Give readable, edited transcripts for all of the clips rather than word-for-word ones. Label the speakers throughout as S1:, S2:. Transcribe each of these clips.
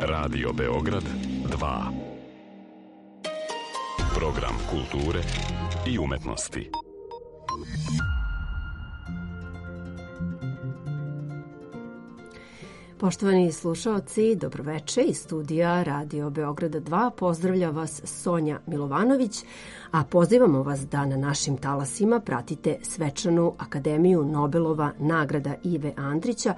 S1: Radio Beograd 2. Program kulture i umetnosti.
S2: Poštovani slušaoci, dobroveče iz studija Radio Beograda 2. Pozdravlja vas Sonja Milovanović, a pozivamo vas da na našim talasima pratite svečanu Akademiju Nobelova nagrada Ive Andrića,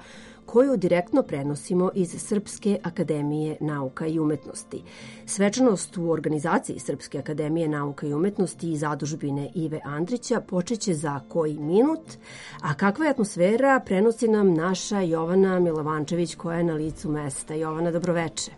S2: koju direktno prenosimo iz Srpske akademije nauka i umetnosti. Svečanost u organizaciji Srpske akademije nauka i umetnosti i zadužbine Ive Andrića počeće za koji minut, a kakva je atmosfera prenosi nam naša Jovana Milovančević koja je na licu mesta. Jovana, dobroveče.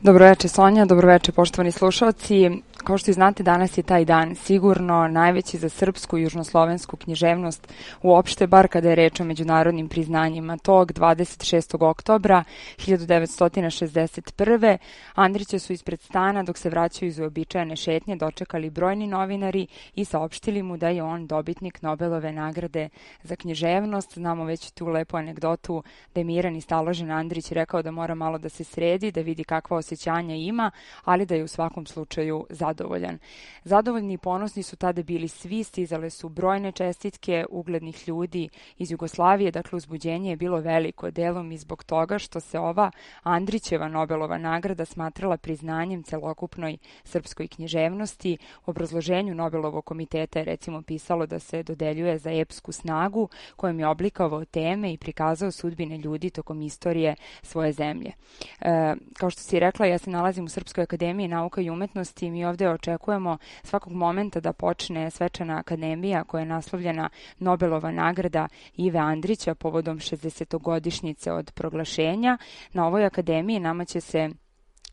S3: Dobroveče Sonja, dobroveče poštovani slušalci. Kao što i znate, danas je taj dan sigurno najveći za srpsku i južnoslovensku književnost uopšte, bar kada je reč o međunarodnim priznanjima. Tog 26. oktobra 1961. Andrića su ispred stana, dok se vraćaju iz uobičajene šetnje, dočekali brojni novinari i saopštili mu da je on dobitnik Nobelove nagrade za književnost. Znamo već tu lepu anegdotu da je miran i staložen Andrić rekao da mora malo da se sredi, da vidi kakva osjećanja ima, ali da je u svakom slučaju zadovoljan. Zadovoljni i ponosni su tada bili svi, stizale su brojne čestitke uglednih ljudi iz Jugoslavije, dakle uzbuđenje je bilo veliko, delom i zbog toga što se ova Andrićeva Nobelova nagrada smatrala priznanjem celokupnoj srpskoj književnosti. U obrazloženju Nobelovog komiteta je recimo pisalo da se dodeljuje za epsku snagu kojom je oblikovao teme i prikazao sudbine ljudi tokom istorije svoje zemlje. Kao što si rekla, ja se nalazim u Srpskoj akademiji nauka i umetnosti i mi ovdje očekujemo svakog momenta da počne svečana akademija koja je naslovljena Nobelova nagrada Ive Andrića povodom 60-godišnjice od proglašenja. Na ovoj akademiji nama će se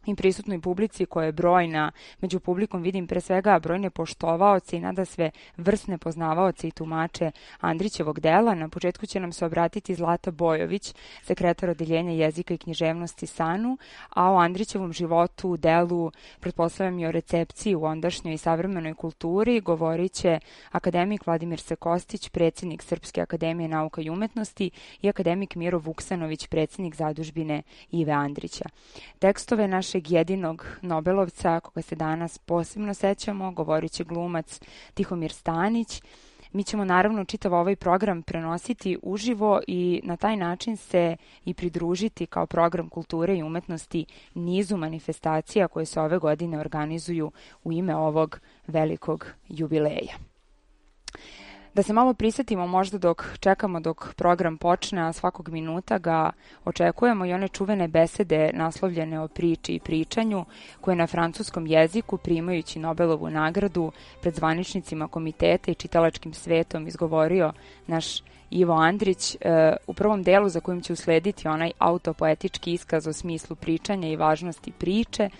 S3: i prisutnoj publici koja je brojna, među publikom vidim pre svega brojne poštovaoce i nadasve vrsne poznavaoce i tumače Andrićevog dela. Na početku će nam se obratiti Zlata Bojović, sekretar odeljenja jezika i književnosti SANU, a o Andrićevom životu, delu, pretpostavljam i o recepciji u ondašnjoj i savremenoj kulturi, govorit će akademik Vladimir Sekostić, predsjednik Srpske akademije nauka i umetnosti, i akademik Miro Vuksanović, predsjednik zadužbine Ive Andrića. Tekstove našeg jedinog Nobelovca, koga se danas posebno sećamo, govorit će glumac Tihomir Stanić. Mi ćemo naravno čitav ovaj program prenositi uživo i na taj način se i pridružiti kao program kulture i umetnosti nizu manifestacija koje se ove godine organizuju u ime ovog velikog jubileja. Da se malo prisjetimo možda dok čekamo dok program počne, a svakog minuta ga očekujemo i one čuvene besede naslovljene o priči i pričanju koje na francuskom jeziku, primajući Nobelovu nagradu pred zvaničnicima komiteta i čitalačkim svetom, izgovorio naš Ivo Andrić. U prvom delu za kojim će uslediti onaj autopoetički iskaz o smislu pričanja i važnosti priče,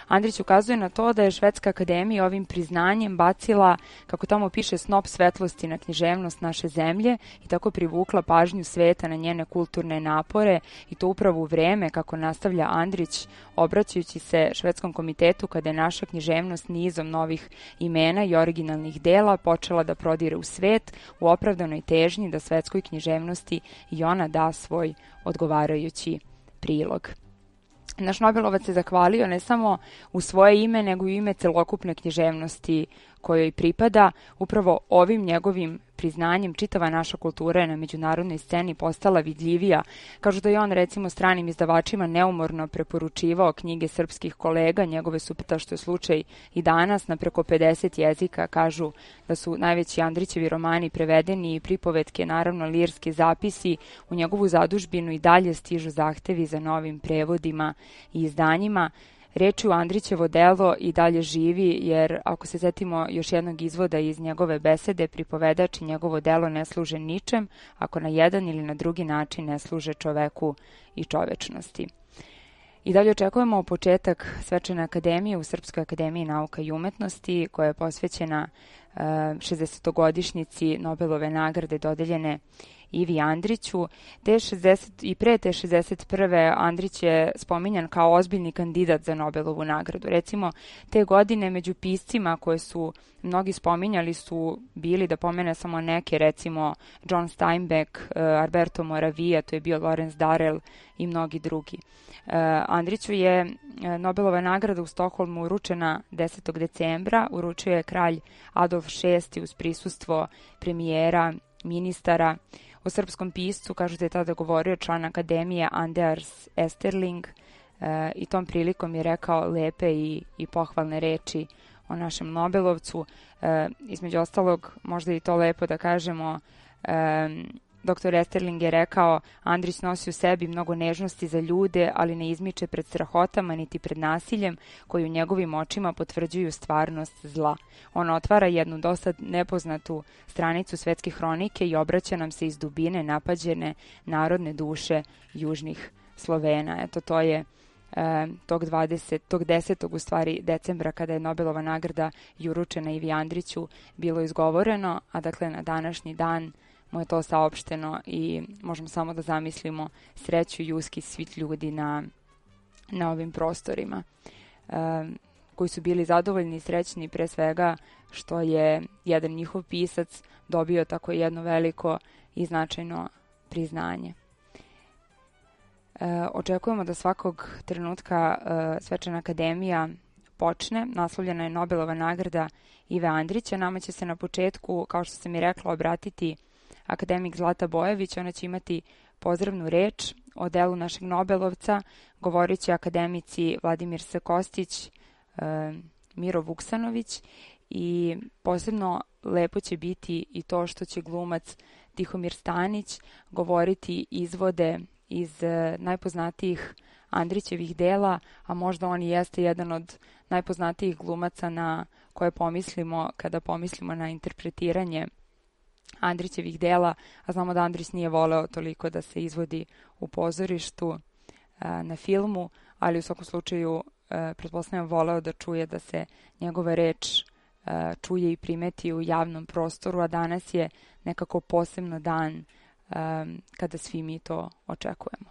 S3: Andrić ukazuje na to da je Švedska akademija ovim priznanjem bacila, kako tamo piše, snop svetlosti na književnost naše zemlje i tako privukla pažnju sveta na njene kulturne napore, i to upravo u vreme, kako nastavlja Andrić, obraćajući se Švedskom komitetu, kada je naša književnost nizom novih imena i originalnih dela počela da prodire u svet u opravdanoj težnji da svetskoj književnosti i ona da svoj odgovarajući prilog. Naš Nobelovac se zahvalio ne samo u svoje ime, nego i u ime celokupne književnosti kojoj pripada. Upravo ovim njegovim priznanjem čitava naša kultura je na međunarodnoj sceni postala vidljivija. Kažu da je on recimo stranim izdavačima neumorno preporučivao knjige srpskih kolega, njegove su, što je slučaj i danas, na preko 50 jezika. Kažu da su najveći Andrićevi romani prevedeni i pripovetke, naravno lirski zapisi. U njegovu zadužbinu i dalje stižu zahtevi za novim prevodima i izdanjima. Reči u Andrićevo delo i dalje živi, jer ako se setimo još jednog izvoda iz njegove besede, pripovedač i njegovo delo ne služe ničem ako na jedan ili na drugi način ne služe čoveku i čovečnosti. I dalje očekujemo početak svečane akademije u Srpskoj akademiji nauka i umetnosti, koja je posvećena 60-godišnjici Nobelove nagrade dodeljene Ivi Andriću. I pre te 61. Andrić je spominjan kao ozbiljni kandidat za Nobelovu nagradu. Recimo, te godine među piscima koje su mnogi spominjali su bili, da pomene samo neke, recimo John Steinbeck, Alberto Moravia, to je bio Lawrence Darrell i mnogi drugi. Andriću je Nobelova nagrada u Stokholmu uručena 10. decembra, uručio je kralj Adolf VI uz prisustvo premijera, ministara. O srpskom piscu, kažu da je tada govorio član akademije Anders Esterling i tom prilikom je rekao lepe i pohvalne reči o našem Nobelovcu. Između ostalog, možda i to lepo da kažemo, Dr. Esterling je rekao: Andrić nosi u sebi mnogo nežnosti za ljude, ali ne izmiče pred strahotama niti pred nasiljem koji u njegovim očima potvrđuju stvarnost zla. On otvara jednu dosad nepoznatu stranicu svetske hronike i obraća nam se iz dubine napađene narodne duše južnih Slovena. Eto, to je tog 10. u stvari decembra, kada je Nobelova nagrada i uručena Ivi Andriću, bilo izgovoreno, a dakle na današnji dan mu je to saopšteno i možemo samo da zamislimo sreću i uski svih ljudi na ovim prostorima, koji su bili zadovoljni i srećni pre svega što je jedan njihov pisac dobio tako jedno veliko i značajno priznanje. Očekujemo da svakog trenutka Svečana akademija počne. Naslovljena je Nobelova nagrada Ive Andrića. Nama će se na početku, kao što sam i rekla, obratiti akademik Zlata Bojović. Ona će imati pozdravnu reč o delu našeg Nobelovca. Govorit će akademici Vladimir S. Kostić, Miro Vuksanović i posebno lepo će biti i to što će glumac Tihomir Stanić govoriti izvode iz najpoznatijih Andrićevih dela, a možda on i jeste jedan od najpoznatijih glumaca na koje pomislimo kada pomislimo na interpretiranje Andrićevih dela, a znamo da Andrić nije voleo toliko da se izvodi u pozorištu, na filmu, ali u svakom slučaju pretpostavljam voleo da čuje da se njegova reč čuje i primeti u javnom prostoru, a danas je nekako posebno dan kada svi mi to očekujemo.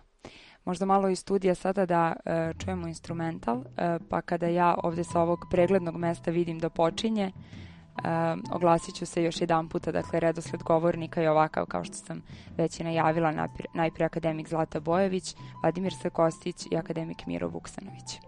S3: Možda malo iz studija sada da čujemo instrumental, pa kada ja ovdje sa ovog preglednog mesta vidim da počinje, oglasit ću se još jedan puta, dakle redosled govornika je ovakav kao što sam već i najavila, najprije akademik Zlata Bojović, Vladimir S. Kostić i akademik Miro Vuksanović.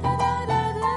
S4: Da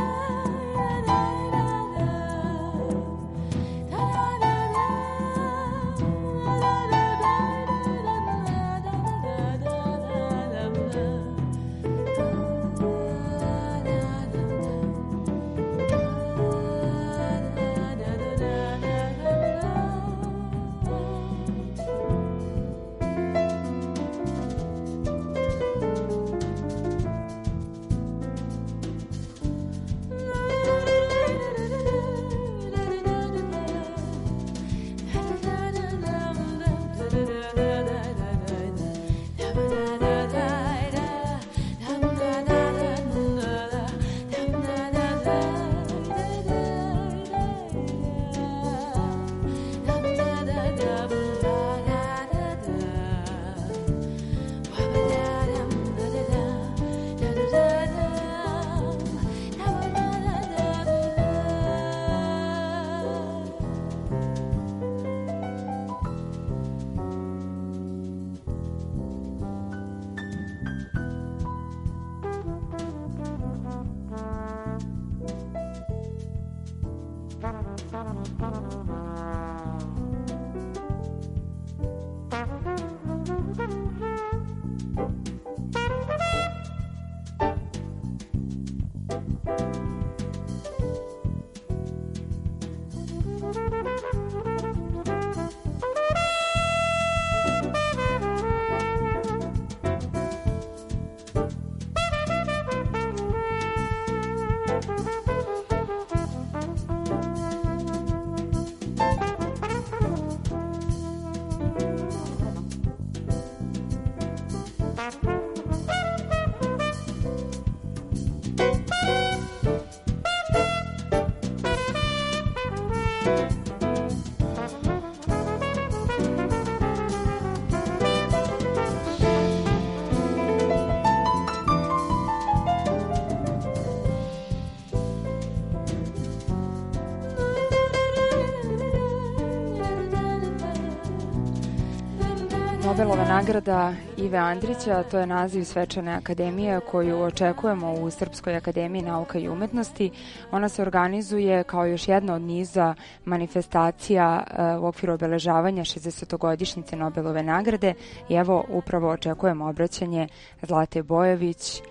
S3: Nobelova nagrada Ive Andrića, to je naziv svečane akademije koju očekujemo u Srpskoj akademiji nauka i umetnosti. Ona se organizuje kao još jedna od niza manifestacija u okviru obeležavanja 60-godišnjice Nobelove nagrade i evo upravo očekujemo obraćanje Zlate Bojović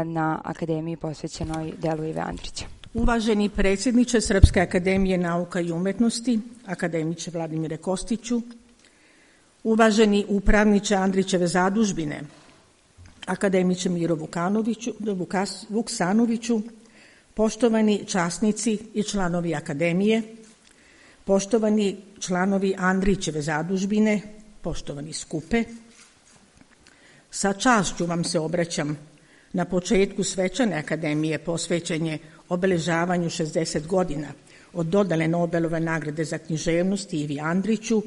S3: na akademiji posvećenoj delu Ive Andrića.
S4: Uvaženi predsjedniče Srpske akademije nauka i umetnosti, akademiče Vladimire Kostiću, uvaženi upravniče Andrićeve zadužbine, akademiče Miro Vuksanoviću, poštovani časnici i članovi akademije, poštovani članovi Andrićeve zadužbine, poštovani skupe, sa čašću vam se obraćam na početku svečane akademije posvećenje obeležavanju 60 godina od dodale Nobelove nagrade za književnost Ivi Andriću,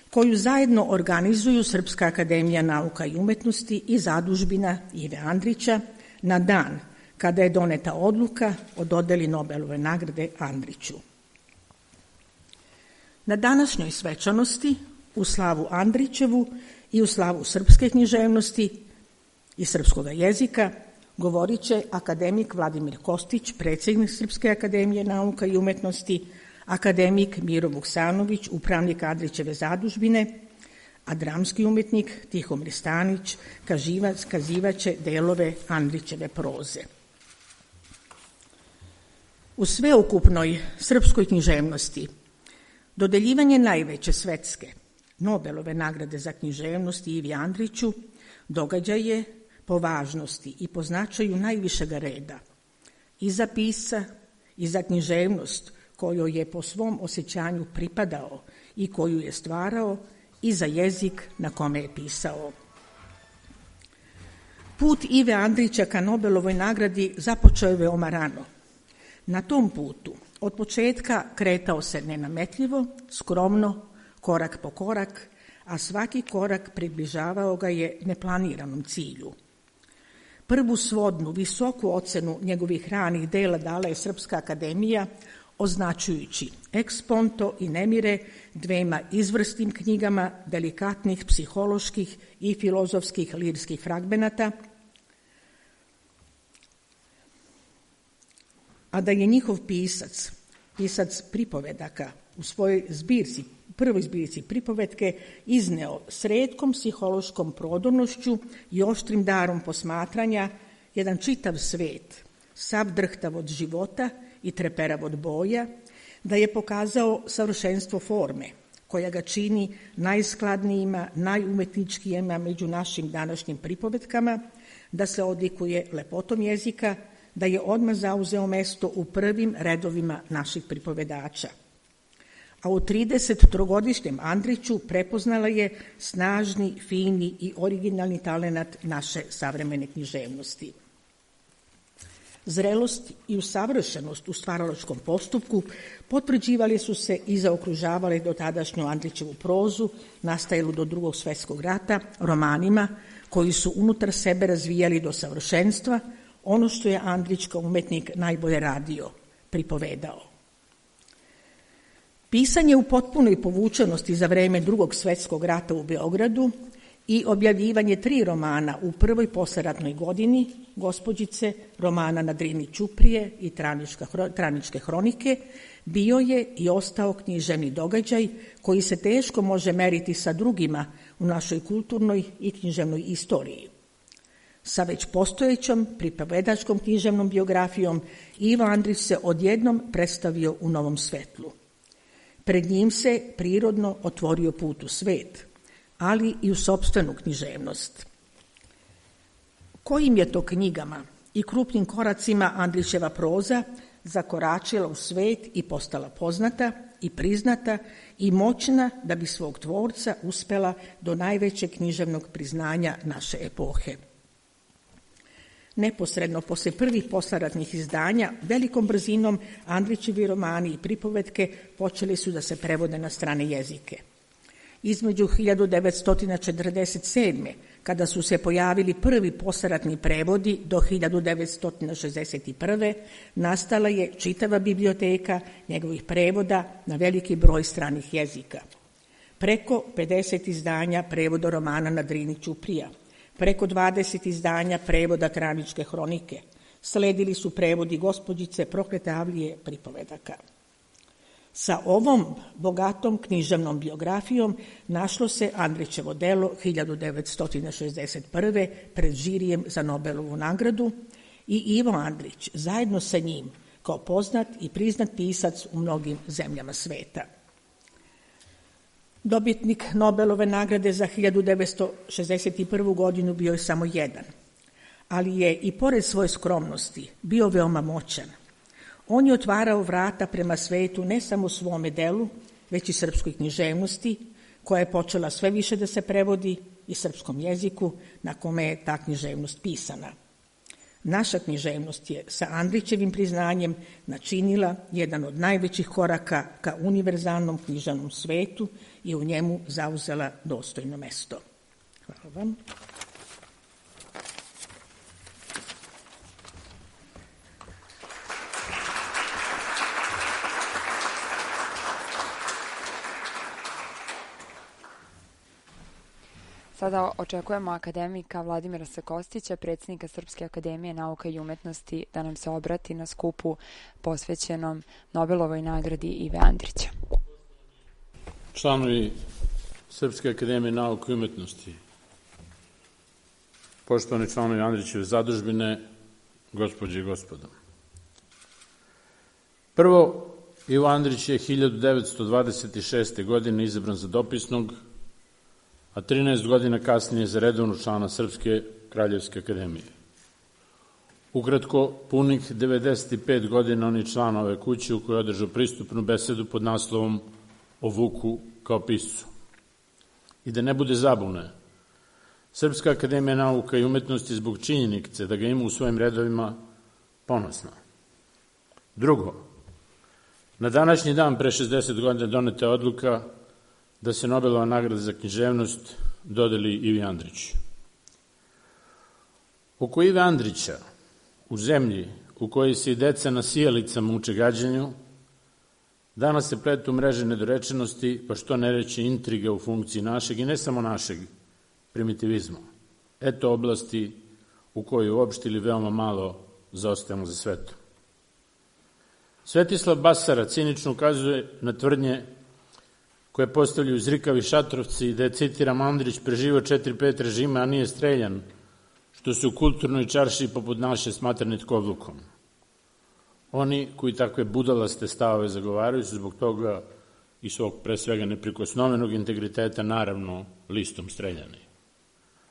S4: koju zajedno organizuju Srpska akademija nauka i umetnosti i zadužbina Ive Andrića na dan kada je doneta odluka o dodeli Nobelove nagrade Andriću. Na današnjoj svečanosti u slavu Andrićevu i u slavu srpske književnosti i srpskog jezika govorit će akademik Vladimir Kostić, predsjednik Srpske akademije nauka i umetnosti, akademik Miro Vuksanović, upravnik Andrićeve zadužbine, a dramski umetnik Tihomir Stanić kazivaće delove Andrićeve proze. U sveukupnoj srpskoj književnosti dodeljivanje najveće svetske Nobelove nagrade za književnost Ivi Andriću događaj je po važnosti i po značaju najvišega reda i za pisca i za književnost kojoj je po svom osjećanju pripadao i koju je stvarao i za jezik na kome je pisao. Put Ive Andrića ka Nobelovoj nagradi započeo je veoma rano. Na tom putu od početka kretao se nenametljivo, skromno, korak po korak, a svaki korak približavao ga je neplaniranom cilju. Prvu svodnu, visoku ocenu njegovih ranih dela dala je Srpska akademija, označujući ex ponto i nemire dvema izvrsnim knjigama delikatnih psiholoških i filozofskih lirskih fragmenata, a da je njihov pisac pripovedaka u svojoj prvoj zbirci pripovetke izneo s retkom psihološkom prodornošću i oštrim darom posmatranja jedan čitav svet, sav drhtav od života i treperav od boja, da je pokazao savršenstvo forme, koja ga čini najskladnijima, najumetničkijima među našim današnjim pripovetkama, da se odlikuje lepotom jezika, da je odmah zauzeo mesto u prvim redovima naših pripovedača. A u 33-godišnjem Andriću prepoznala je snažni, fini i originalni talenat naše savremene književnosti. Zrelost i usavršenost u stvaralačkom postupku potvrđivali su se i zaokružavali dotadašnju Andrićevu prozu, nastajalu do Drugog svjetskog rata, romanima koji su unutar sebe razvijali do savršenstva ono što je Andrić kao umetnik najbolje radio, pripovedao. Pisanje u potpunoj povučenosti za vreme Drugog svjetskog rata u Beogradu i objavljivanje 3 romana u prvoj posleratnoj godini, Gospođice, romana Na Drini ćuprije i Traničke hronike, bio je i ostao književni događaj koji se teško može meriti sa drugima u našoj kulturnoj i književnoj istoriji. Sa već postojećom pripovedačkom književnom biografijom Ivo Andrić se odjednom predstavio u novom svetlu. Pred njim se prirodno otvorio put u svet, ali i u sopstvenu književnost. Kojim je to knjigama i krupnim koracima Andrićeva proza zakoračila u svet i postala poznata i priznata i moćna da bi svog tvorca uspela do najvećeg književnog priznanja naše epohe. Neposredno posle prvih posleratnih izdanja, velikom brzinom Andrićevi romani i pripovetke počeli su da se prevode na strane jezike. Između 1947. kada su se pojavili prvi posleratni prevodi do 1961. nastala je čitava biblioteka njegovih prevoda na veliki broj stranih jezika. preko 50 izdanja prevoda romana na Drini Ćuprija, preko 20 izdanja prevoda Traničke hronike. Sledili su prevodi Gospođice Proklete Avlije pripovedaka. Sa ovom bogatom književnom biografijom našlo se Andrićevo delo 1961. pred žirijem za Nobelovu nagradu i Ivo Andrić zajedno sa njim kao poznat i priznat pisac u mnogim zemljama sveta. Dobitnik Nobelove nagrade za 1961. godinu bio je samo jedan, ali je i pored svoje skromnosti bio veoma moćan. On je otvarao vrata prema svetu ne samo svome delu, već i srpskoj književnosti, koja je počela sve više da se prevodi i srpskom jeziku na kome je ta književnost pisana. Naša književnost je sa Andrićevim priznanjem načinila jedan od najvećih koraka ka univerzalnom književnom svetu i u njemu zauzela dostojno mesto. Hvala vam.
S3: Sada očekujemo akademika Vladimira Sakostića, predsjednika Srpske akademije nauka i umetnosti, da nam se obrati na skupu posvećenom Nobelovoj nagradi Ive Andrića.
S5: Članovi Srpske akademije nauka i umetnosti, poštovani članovi Andrićeve zadužbine, gospođe i gospodo. Prvo, Ivo Andrić je 1926. godine izabran za dopisnog, a 13 godina kasnije za redovnog člana Srpske kraljevske akademije. Ukratko, punih 95 godina on je član ove kuće u kojoj je održao pristupnu besedu pod naslovom O Vuku kao piscu. I da ne bude zabune, Srpska akademija nauka i umetnosti zbog činjenice da ga ima u svojim redovima ponosna. Drugo, na današnji dan pre 60 godina doneta je odluka da se Nobelova nagrada za književnost dodeli Ivi Andriću. Oko Ive Andrića, u zemlji u kojoj se i deca na sijalicama uče gađanju, danas se pletu mreže nedorečenosti, pa što ne reći intriga u funkciji našeg i ne samo našeg primitivizma. Eto oblasti u kojoj uopšte ili veoma malo zaostajemo za svetom. Svetislav Basara cinično ukazuje na tvrdnje koje postavljaju zrikavi šatrovci i da je, citiram, Andrić preživao 4-5 režima, a nije streljan, što se u kulturnoj čaršiji poput naše smatra nitkovlukom. Oni koji takve budalaste stavove zagovaraju su zbog toga i svog pre svega neprikosnovenog integriteta naravno listom streljani.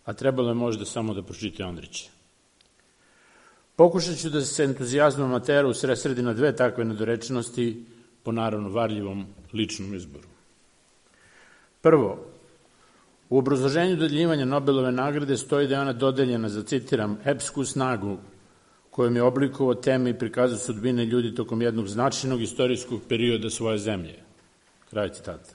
S5: A trebalo je možda samo da pročitaju Andrića. Pokušat ću da se entuzijazmom amatera usredsredi na dve takve nedorečenosti po naravno varljivom ličnom izboru. Prvo, u obrazloženju dodeljivanja Nobelove nagrade stoji da je ona dodeljena za, citiram, epsku snagu kojom je oblikovao teme i prikazao sudbine ljudi tokom jednog značajnog istorijskog perioda svoje zemlje. Kraj citata.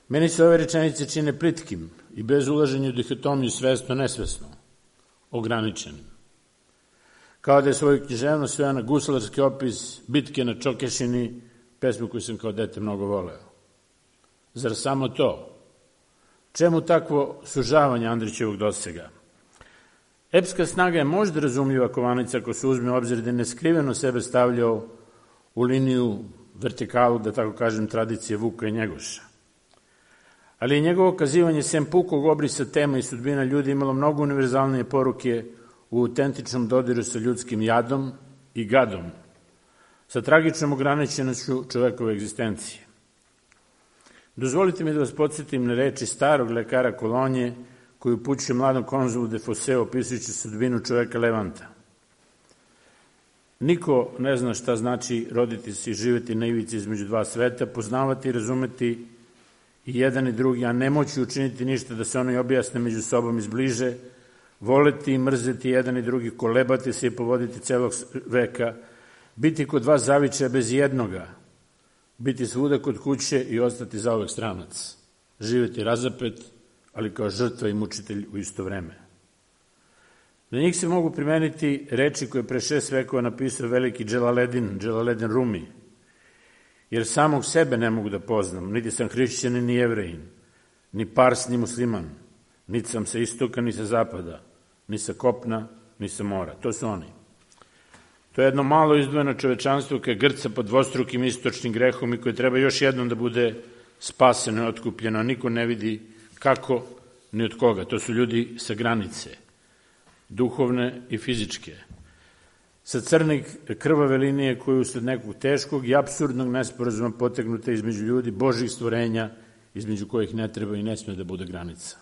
S5: Meni se ove rečenice čine plitkim i bez ulaženja u dihotomiju svesno-nesvesno, ograničenim. Kao da je svoju književnost sveo na guslarski opis bitke na Čokešini, pesmu koju sam kao dete mnogo voleo. Zar samo to? Čemu takvo sužavanje Andrićevog dosega? Epska snaga je možda razumljiva kovanica ako se uzme u obzir da je neskriveno sebe stavljao u liniju vertikalu, da tako kažem, tradicije Vuka i Njegoša. Ali je njegovo kazivanje sem pukog obrisa tema i sudbina ljudi imalo mnogo univerzalnije poruke u autentičnom dodiru sa ljudskim jadom i gadom, sa tragičnom ograničenošću čovekove egzistencije. Dozvolite mi da vas podsjetim na reči starog lekara Kolonje koji upućuje mladom konzulu de Fosse opisujući sudbinu čoveka Levanta. Niko ne zna šta znači roditi se i živeti na ivici između dva sveta, poznavati i razumeti i jedan i drugi, a ne moći učiniti ništa da se ono i objasne među sobom izbliže, voleti i mrzeti jedan i drugi, kolebati se i povoditi celog veka, biti kod dva zavičaja bez jednoga, biti svuda kod kuće i ostati zauvek stranac, živeti razapet, ali kao žrtva i mučitelj u isto vreme. Na njih se mogu primeniti reči koje pre 6 vekova napisao veliki Dželaledin Rumi jer samog sebe ne mogu da poznam, niti sam hrišćanin ni jevrejin, ni pars ni musliman, niti sam sa istoka ni sa zapada, ni sa kopna ni sa mora. To su oni. To je jedno malo izdvojeno čovečanstvo koje grca pod dvostrukim istočnim grehom i koje treba još jednom da bude spaseno i otkupljeno, a niko ne vidi kako ni od koga. To su ljudi sa granice, duhovne i fizičke, sa crne krvave linije koje usled nekog teškog i apsurdnog nesporazuma potegnute između ljudi, Božih stvorenja, između kojih ne treba i ne sme da bude granica.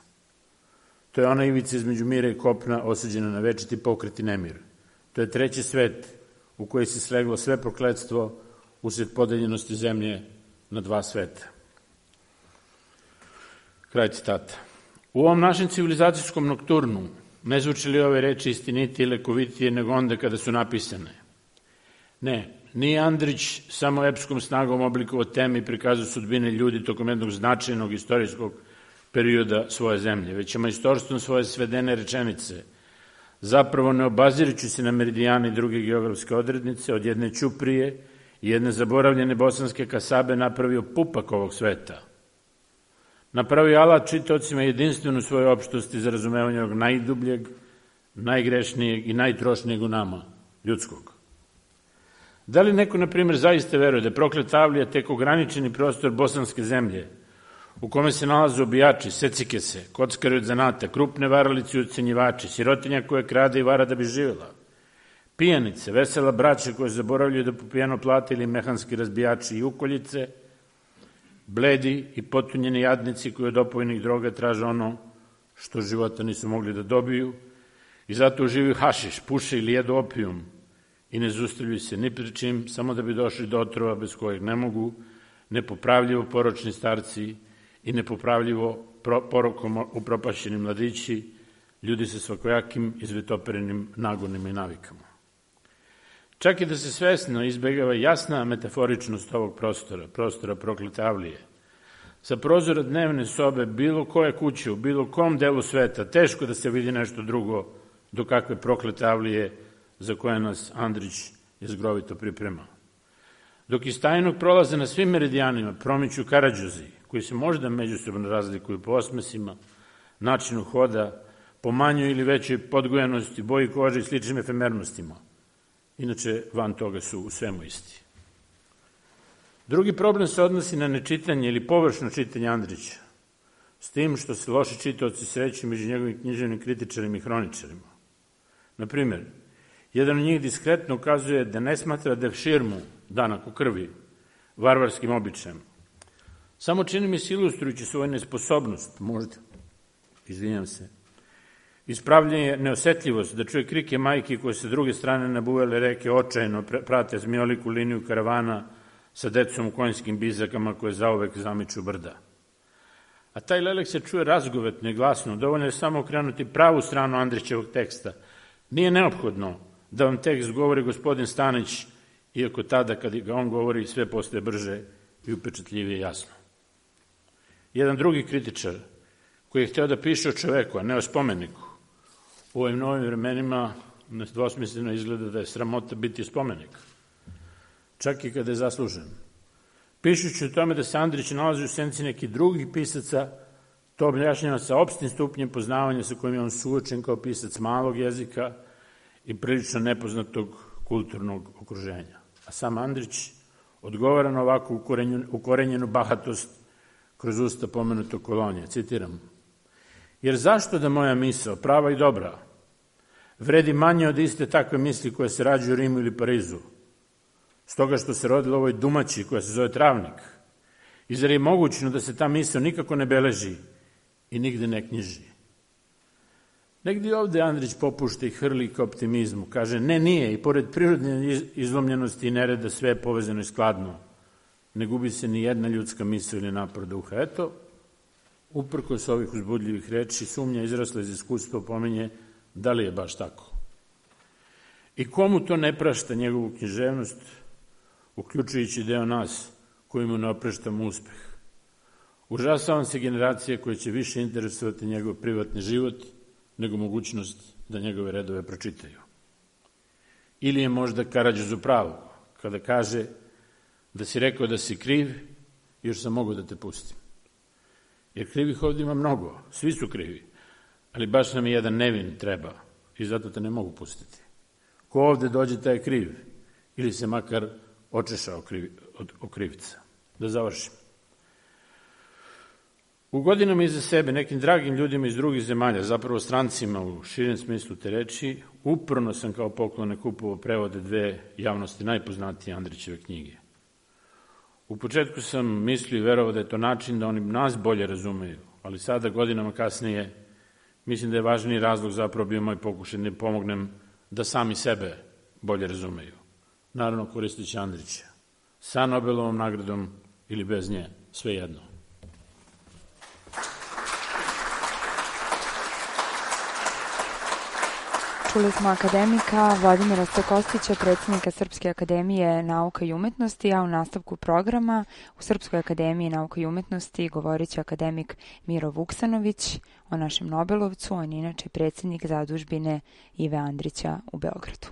S5: To je ona ivica između mira i kopna osuđena na večiti pokret i nemir. To je treći svet u koji se sleglo sve prokletstvo usred podeljenosti zemlje na dva sveta. Kraj citata. U ovom našem civilizacijskom nokturnu ne zvuče li ove reči istinitije i lekovitije nego onda kada su napisane? Ne, nije Andrić samo epskom snagom oblikovao teme i prikazao sudbine ljudi tokom jednog značajnog istorijskog perioda svoje zemlje, već je majstorstvom svoje svedene rečenice, zapravo ne obazirući se na meridijane i druge geografske odrednice, od jedne Ćuprije i jedne zaboravljene bosanske kasabe napravio pupak ovog sveta. Napravio alat čitaocima jedinstvenu svoje opštosti za razumevanje ovog najdubljeg, najgrešnijeg i najtrošnijeg u nama, ljudskog. Da li neko, na primjer, zaista veruje da je prokleta Avlija tek ograničeni prostor bosanske zemlje, u kome se nalaze obijači, secikese, kockari od zanata, krupne varalice i ucenjivači, sirotinja koja krade i vara da bi živjela, pijanice, vesela braća koje zaboravljaju da popijano plate ili mehanski razbijači i ukoljice, bledi i potunjeni jadnici koji od opojnih droga traže ono što života nisu mogli da dobiju i zato uživaju hašiš, puše ili jedu opijum i ne zustavljaju se ni pri čim, samo da bi došli do otrova bez kojeg ne mogu, nepopravljivo poročni starci i nepopravljivo porokom upropašćeni mladići, ljudi sa svakojakim izvitoperenim nagonima i navikama. Čak i da se svesno izbegava jasna metaforičnost ovog prostora proklete Avlije, sa prozora dnevne sobe bilo koje kuće u bilo kom delu sveta teško da se vidi nešto drugo do kakve proklete Avlije za koje nas Andrić jezgrovito priprema. Dok iz tajnog prolaza na svim meridijanima promiču Karađozi, koji se možda međusobno razlikuju po osmesima, načinu hoda, po manjoj ili većoj podgojenosti, boji kože i sličnim efemernostima. Inače, van toga su u svemu isti. Drugi problem se odnosi na nečitanje ili površno čitanje Andrića, s tim što se loši čitaoci sreću među njegovim književnim kritičarima i hroničarima. Naprimjer, jedan od njih diskretno ukazuje da ne smatra da širmu, danak u krvi, varvarskim običajem. Samo čini mi se ilustrujući svoju nesposobnost, možda, ispravljanje neosetljivost da čuje krike majke koje se druge strane nabuvele reke očajno prate zmijoliku liniju karavana sa decom u konjskim bizakama koje zauvek zamiču brda. A taj lelek se čuje razgovetno i glasno, dovoljno je samo okrenuti pravu stranu Andrićevog teksta. Nije neophodno da vam tekst govori gospodin Stanić, iako tada kad ga on govori sve postaje brže i upečatljivije jasno. Jedan drugi kritičar koji je hteo da piše o čoveku, a ne o spomeniku, u ovim novim vremenima nedvosmisleno izgleda da je sramota biti spomenik, čak i kada je zaslužen. Pišući o tome da se Andrić nalazi u senci nekih drugih pisaca, to objašnjava sa opštim stupnjem poznavanja sa kojim je on suočen kao pisac malog jezika i prilično nepoznatog kulturnog okruženja. A sam Andrić odgovara na ovakvu ukorenjenu bahatost kroz usta pomenutog Kolonije. Citiram: jer zašto da moja misao, prava i dobra, vredi manje od iste takve misli koje se rađaju u Rimu ili Parizu, stoga što se rodila ovoj dumači koja se zove Travnik, i zar je mogućno da se ta misao nikako ne beleži i nigde ne knjiži? Negdje ovde Andrić popušta i hrli ka optimizmu, kaže ne, nije, i pored prirodne izlomljenosti i nereda sve je povezano i skladno, ne gubi se ni jedna ljudska misao ili napor duha. Eto, uprkos ovih uzbudljivih reči, sumnja izrasla iz iskustva pominje da li je baš tako. I komu to ne prašta njegovu književnost, uključujući deo nas koji mu ne opraštamo uspeh. Užasavam se generacije koje će više interesovati njegov privatni život nego mogućnost da njegove redove pročitaju. Ili je možda Karađoz u pravu kada kaže da si rekao da si kriv, još sam mogao da te pustim. Jer krivih ovdje ima mnogo, svi su krivi, ali baš nam je jedan nevin treba i zato te ne mogu pustiti. Ko ovdje dođe, taj je kriv, ili se makar očešao od krivca. Da završim. U godinama iza sebe, nekim dragim ljudima iz drugih zemalja, zapravo strancima u širem smislu te reči, uporno sam kao poklone kupovao prevode dve javnosti najpoznatije Andrićeve knjige. U početku sam mislio i verovao da je to način da oni nas bolje razumeju, ali sada, godinama kasnije, mislim da je važniji razlog zapravo bio moj pokušaj da pomognem da sami sebe bolje razumeju. Naravno, koristeći Andrića. Sa Nobelovom nagradom ili bez nje, sve jedno.
S3: Čuli smo akademika Vladimira Stokostića, predsjednika Srpske akademije nauka i umetnosti, a u nastavku programa u Srpskoj akademiji nauka i umetnosti govorit će akademik Miro Vuksanović o našem Nobelovcu. On je inače predsjednik zadužbine Ive Andrića u Beogradu.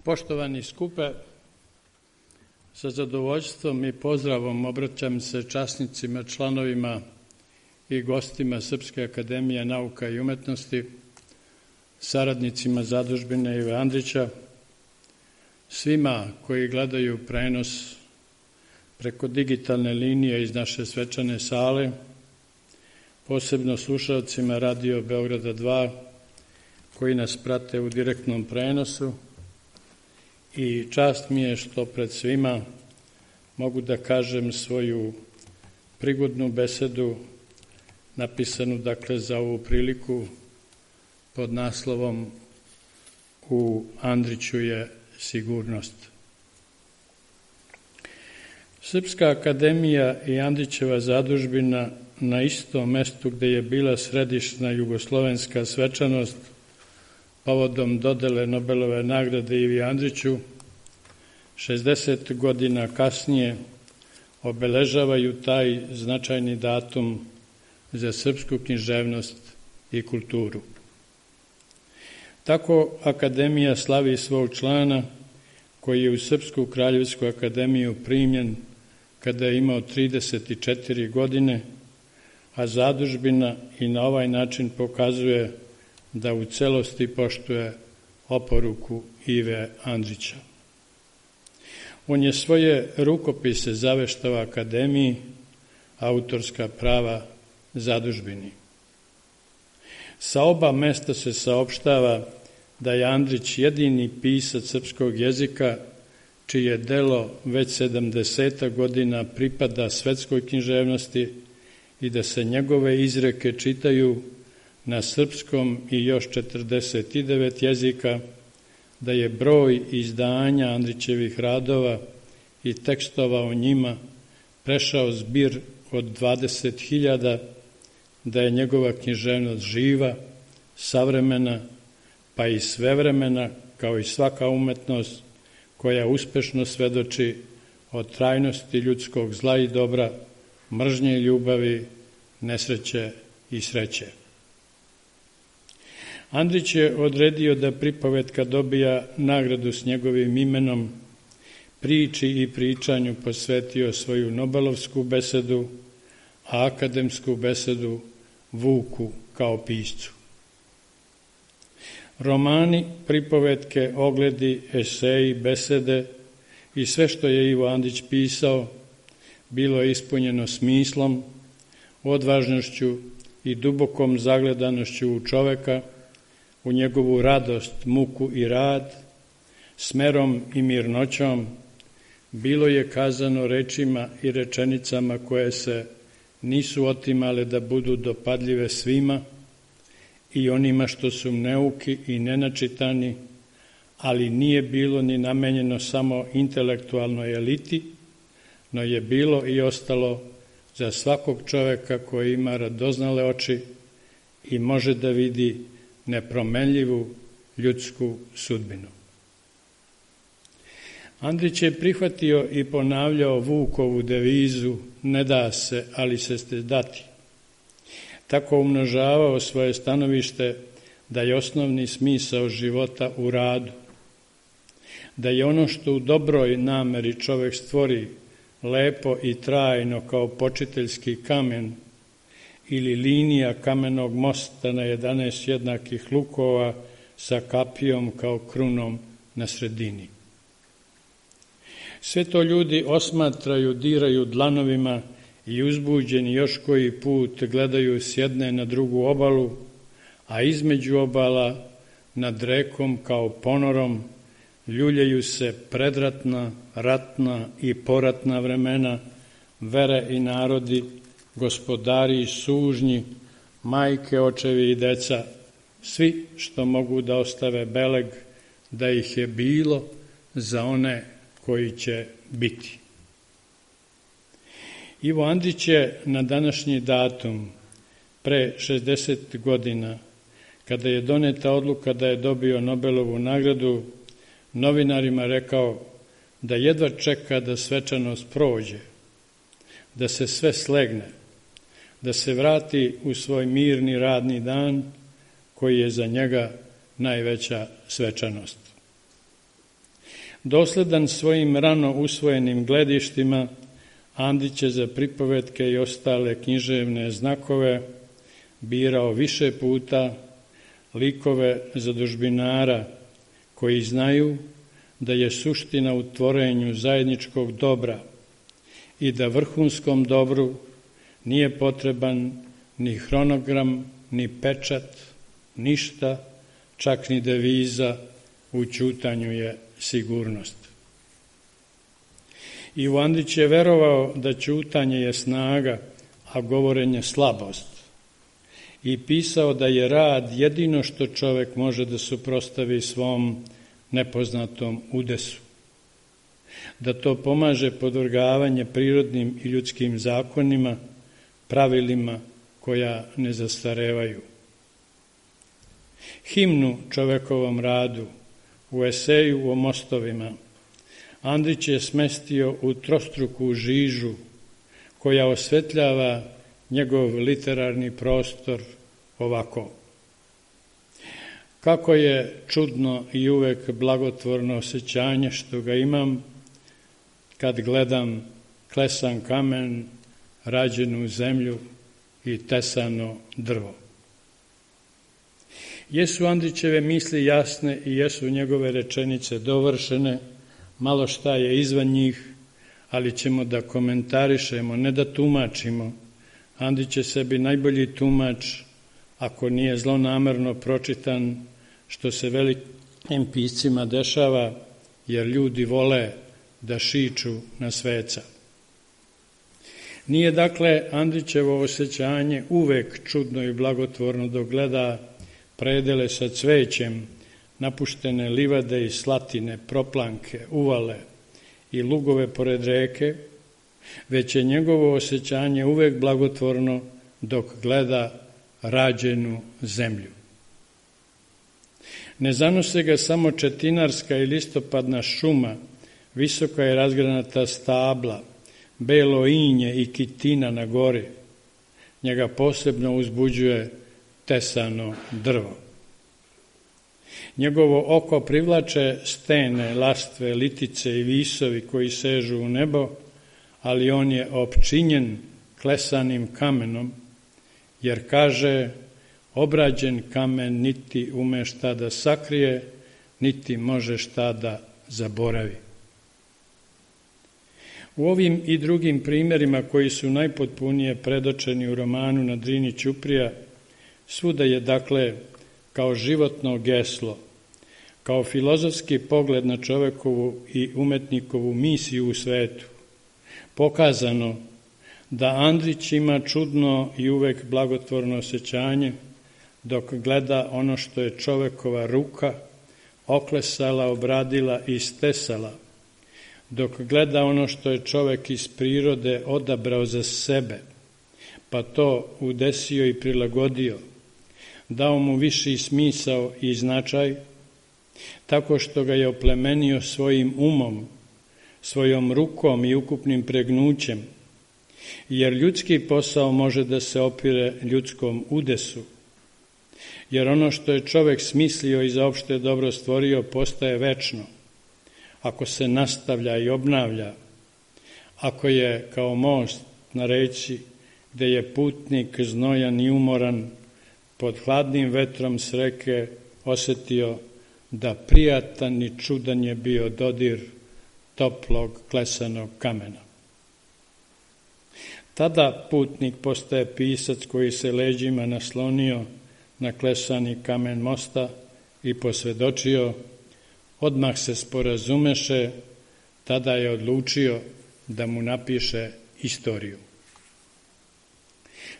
S6: Poštovani skupe, sa zadovoljstvom i pozdravom obraćam se časnicima, članovima i gostima Srpske akademije nauka i umetnosti, saradnicima zadužbine Ive Andrića, svima koji gledaju prenos preko digitalne linije iz naše svečane sale, posebno slušalcima Radio Beograda 2 koji nas prate u direktnom prenosu, i čast mi je što pred svima mogu da kažem svoju prigodnu besedu napisanu dakle za ovu priliku pod naslovom U Andriću je sigurnost. Srpska akademija i Andrićeva zadužbina na istom mestu gde je bila središnja jugoslovenska svečanost povodom dodele Nobelove nagrade Ivi Andriću, 60 godina kasnije obeležavaju taj značajni datum za srpsku književnost i kulturu. Tako akademija slavi svog člana koji je u Srpsku kraljevsku akademiju primljen kada je imao 34 godine, a zadužbina i na ovaj način pokazuje da u celosti poštuje oporuku Ive Andrića. On je svoje rukopise zaveštao akademiji, autorska prava zadužbini. Sa oba mesta se saopštava da je Andrić jedini pisac srpskog jezika čije delo već 70 godina pripada svetskoj književnosti i da se njegove izreke čitaju na srpskom i još 49 jezika, da je broj izdanja Andrićevih radova i tekstova o njima prešao zbir od 20.000, da je njegova književnost živa, savremena, pa i svevremena, kao i svaka umetnost koja uspešno svedoči o trajnosti ljudskog zla i dobra, mržnje i ljubavi, nesreće i sreće. Andrić je odredio da pripovetka dobija nagradu s njegovim imenom, priči i pričanju posvetio svoju Nobelovsku besedu, a akademsku besedu Vuku kao piscu. Romani, pripovetke, ogledi, eseji, besede i sve što je Ivo Andrić pisao bilo je ispunjeno smislom, odvažnošću i dubokom zagledanošću u čoveka, u njegovu radost, muku i rad, smerom i mirnoćom. Bilo je kazano rečima i rečenicama koje se nisu otimale da budu dopadljive svima i onima što su neuki i nenačitani, ali nije bilo ni namenjeno samo intelektualnoj eliti, no je bilo i ostalo za svakog čoveka koji ima radoznale oči i može da vidi nepromenljivu ljudsku sudbinu. Andrić je prihvatio i ponavljao Vukovu devizu ne da se, ali se ste dati. Tako umnožavao svoje stanovište da je osnovni smisao života u radu, da je ono što u dobroj nameri čovek stvori lepo i trajno kao počiteljski kamen ili linija kamenog mosta na 11 jednakih lukova sa kapijom kao krunom na sredini. Sve to ljudi osmatraju, diraju dlanovima i uzbuđeni još koji put gledaju s jedne na drugu obalu, a između obala nad rekom kao ponorom ljuljaju se predratna, ratna i poratna vremena, vere i narodi, gospodari i sužnji, majke, očevi i deca, svi što mogu da ostave beleg da ih je bilo za one koji će biti. Ivo Andrić je na današnji datum, pre 60 godina, kada je doneta odluka da je dobio Nobelovu nagradu, novinarima rekao da jedva čeka da svečanost prođe, da se sve slegne, da se vrati u svoj mirni radni dan koji je za njega najveća svečanost. Dosledan svojim rano usvojenim gledištima, Andrić je za pripovetke i ostale književne znakove birao više puta likove zadužbinara koji znaju da je suština u tvorenju zajedničkog dobra i da vrhunskom dobru nije potreban ni hronogram, ni pečat, ništa, čak ni deviza, u ćutanju je sigurnost. Ivo Andrić je verovao da ćutanje je snaga, a govorenje slabost. I pisao da je rad jedino što čovek može da suprotstavi svom nepoznatom udesu. Da to pomaže podvrgavanje prirodnim i ljudskim zakonima, pravilima koja ne zastarevaju. Himnu čovekovom radu u eseju o mostovima Andrić je smestio u trostruku žižu koja osvetljava njegov literarni prostor ovako. Kako je čudno i uvek blagotvorno osjećanje što ga imam kad gledam klesan kamen, rađenu zemlju i tesano drvo. Jesu Andrićeve misli jasne i jesu njegove rečenice dovršene, malo šta je izvan njih, ali ćemo da komentarišemo, ne da tumačimo. Andrić je sebi najbolji tumač, ako nije zlonamerno pročitan, što se velikim piscima dešava, jer ljudi vole da šiču na sveca. Nije dakle Andrićevo osjećanje uvek čudno i blagotvorno dok gleda predele sa cvećem, napuštene livade i slatine, proplanke, uvale i lugove pored reke, već je njegovo osjećanje uvek blagotvorno dok gleda rađenu zemlju. Ne zanose ga samo četinarska i listopadna šuma, visoka i razgranata stabla, belo inje i kitina na gori. Njega posebno uzbuđuje tesano drvo. Njegovo oko privlače stene, lastve, litice i visovi koji sežu u nebo, ali on je opčinjen klesanim kamenom, jer kaže, obrađen kamen niti ume šta da sakrije, niti može šta da zaboravi. U ovim i drugim primjerima koji su najpotpunije predočeni u romanu Na Drini Ćuprija, svuda je dakle kao životno geslo, kao filozofski pogled na čovekovu i umetnikovu misiju u svetu, pokazano da Andrić ima čudno i uvek blagotvorno osjećanje dok gleda ono što je čovekova ruka oklesala, obradila i stesala, dok gleda ono što je čovek iz prirode odabrao za sebe, pa to udesio i prilagodio, dao mu viši smisao i značaj, tako što ga je oplemenio svojim umom, svojom rukom i ukupnim pregnućem, jer ljudski posao može da se opire ljudskom udesu, jer ono što je čovek smislio i za opšte dobro stvorio postaje večno, ako se nastavlja i obnavlja, ako je kao most na reci gde je putnik znojan i umoran pod hladnim vetrom s reke osetio da prijatan i čudan je bio dodir toplog klesanog kamena. Tada putnik postaje pisac koji se leđima naslonio na klesani kamen mosta i posvedočio, odmah se sporazumeše, tada je odlučio da mu napiše istoriju.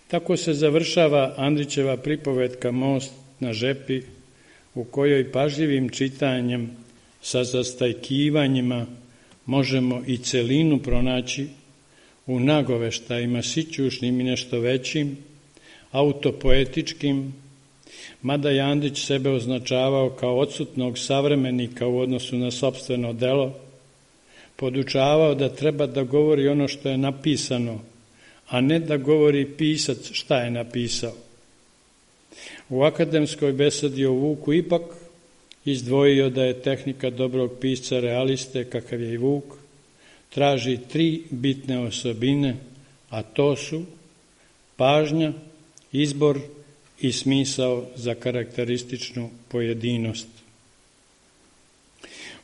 S6: Tako se završava Andrićeva pripovetka Most na žepi, u kojoj pažljivim čitanjem sa zastajkivanjima možemo i celinu pronaći u nagoveštajima sićušnim i nešto većim, autopoetičkim, mada je Andrić sebe označavao kao odsutnog savremenika u odnosu na sopstveno delo, podučavao da treba da govori ono što je napisano, a ne da govori pisac šta je napisao. U akademskoj besedi o Vuku ipak izdvojio da je tehnika dobrog pisca realiste, kakav je i Vuk, traži 3 bitne osobine, a to su pažnja, izbor i smisao za karakterističnu pojedinost.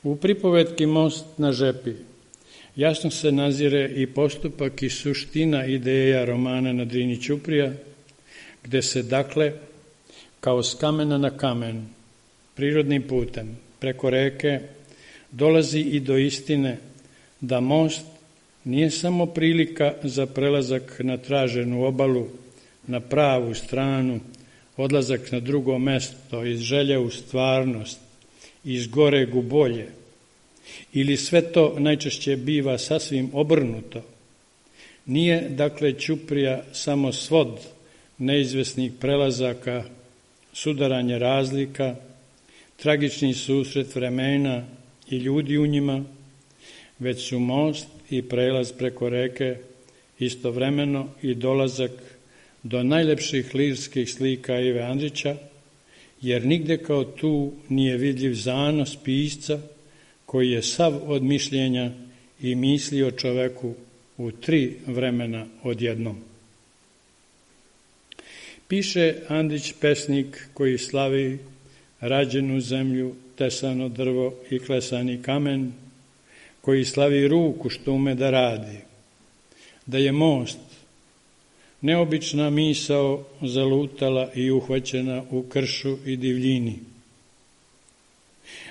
S6: U pripovetki Most na žepi jasno se nazire i postupak i suština ideja romana Na Drini ćuprija, gde se dakle, kao s kamena na kamen, prirodnim putem, preko reke, dolazi i do istine da most nije samo prilika za prelazak na traženu obalu, na pravu stranu, odlazak na drugo mesto, iz želje u stvarnost, iz goreg u bolje, ili sve to najčešće biva sasvim obrnuto. Nije, dakle, ćuprija samo svod neizvesnih prelazaka, sudaranje razlika, tragični susret vremena i ljudi u njima, već su most i prelaz preko reke istovremeno i dolazak do najlepših lirskih slika Ive Andrića, jer nigde kao tu nije vidljiv zanos pisca koji je sav od mišljenja i misli o čoveku u 3 vremena odjednom. Piše Andrić pesnik koji slavi rađenu zemlju, tesano drvo i klesani kamen, koji slavi ruku što ume da radi, da je most neobična misao zalutala i uhvaćena u kršu i divljini,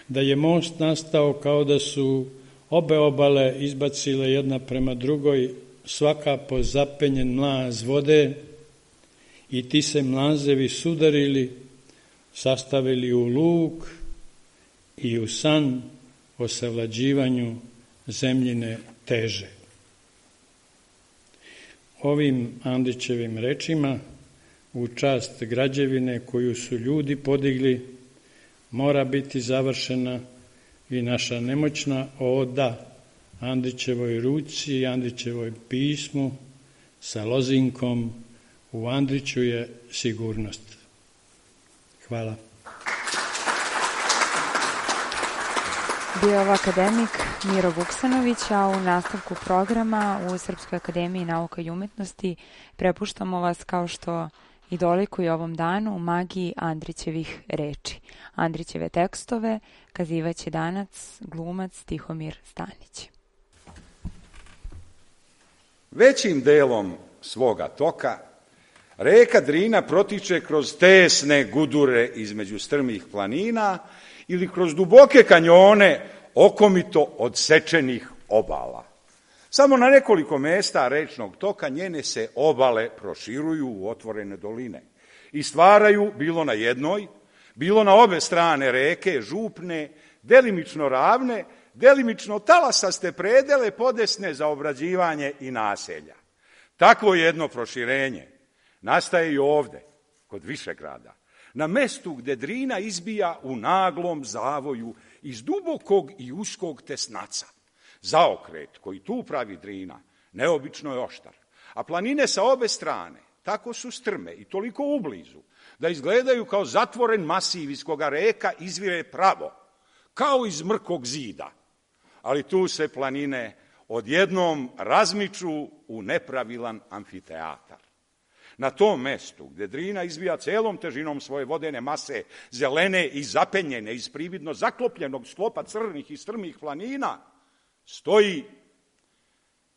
S6: da je most nastao kao da su obe obale izbacile jedna prema drugoj, svaka po zapenjen mlaz vode, i ti se mlazevi sudarili, sastavili u luk i u san o savlađivanju zemljine teže. Ovim Andrićevim rečima, u čast građevine koju su ljudi podigli, mora biti završena i naša nemoćna oda Andrićevoj ruci i Andrićevoj pismu sa lozinkom U Andriću je sigurnost. Hvala.
S3: Bio je ovo akademik Miro Vuksanović, a u nastavku programa u Srpskoj akademiji nauka i umetnosti prepuštamo vas, kao što i dolikuje ovom danu, magiji Andrićevih reči. Andrićeve tekstove kazivaće danas glumac Tihomir Stanić.
S7: Većim delom svoga toka reka Drina protiče kroz tesne gudure između strmih planina ili kroz duboke kanjone okomito odsečenih obala. Samo na nekoliko mesta rečnog toka njene se obale proširuju u otvorene doline i stvaraju, bilo na jednoj, bilo na obe strane reke, župne, delimično ravne, delimično talasaste predele podesne za obrađivanje i naselja. Takvo jedno proširenje nastaje i ovde, kod Višegrada, na mestu gde Drina izbija u naglom zavoju iz dubokog i uskog tesnaca. Zaokret koji tu pravi Drina neobično je oštar, A planine sa obe strane tako su strme i toliko ublizu da izgledaju kao zatvoren masiv iz koga reka izvire pravo, kao iz mrkog zida. Ali tu se planine odjednom razmiču u nepravilan amfiteatar. Na tom mestu gde Drina izbija celom težinom svoje vodene mase, zelene i zapenjene iz prividno zaklopljenog sklopa crnih i strmih planina, stoji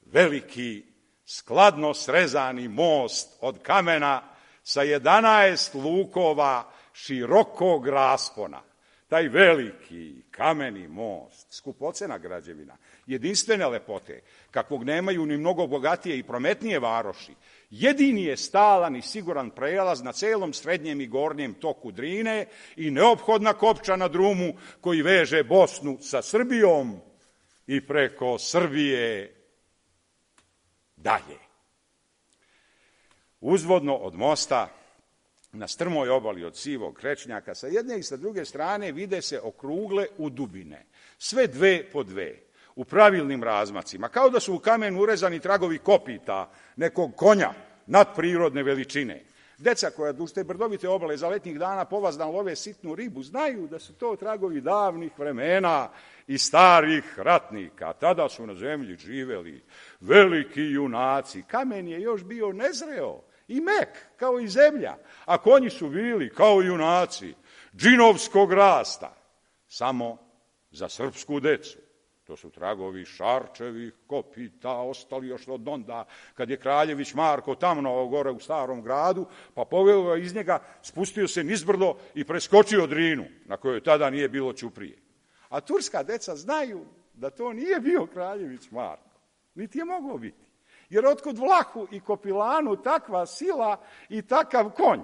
S7: veliki, skladno srezani most od kamena sa 11 lukova širokog raspona. Taj veliki kameni most, skupocena građevina, jedinstvene lepote, kakvog nemaju ni mnogo bogatije i prometnije varoši, jedini je stalan i siguran prelaz na celom srednjem i gornjem toku Drine i neophodna kopča na drumu koji veže Bosnu sa Srbijom i preko Srbije dalje. Uzvodno od mosta, na strmoj obali od Sivog Krečnjaka, sa jedne i sa druge strane vide se okrugle udubine, sve dve po dve, u pravilnim razmacima, kao da su u kamen urezani tragovi kopita nekog konja nadprirodne veličine. Deca koja duž te brdovite obale za letnjih dana povazdan love sitnu ribu, znaju da su to tragovi davnih vremena i starih ratnika. Tada su na zemlji živeli veliki junaci. Kamen je još bio nezreo i mek, kao i zemlja, a konji su bili, kao junaci, džinovskog rasta, samo za srpsku decu. To su tragovi Šarčevih kopita, ostali još od onda, kad je kraljević Marko tamnovao gore u Starom gradu, pa poveo iz njega, spustio se nizbrdo i preskočio Drinu, na kojoj tada nije bilo ćuprije. A turska deca znaju da to nije bio kraljević Marko, niti je moglo biti. Jer otkud Vlahu i Kopilanu takva sila i takav konj,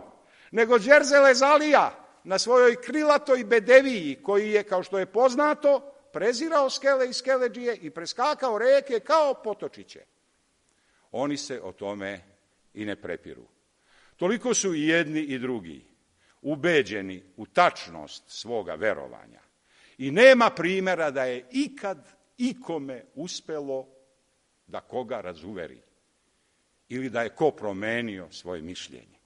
S7: nego Đerzele Zalija na svojoj krilatoj bedeviji, koji je, kao što je poznato, prezirao skele i skeleđije i preskakao reke kao potočiće. Oni se o tome i ne prepiru. Toliko su i jedni i drugi ubeđeni u tačnost svoga verovanja. I nema primjera da je ikad ikome uspelo da koga razuveri ili da je ko promenio svoje mišljenje.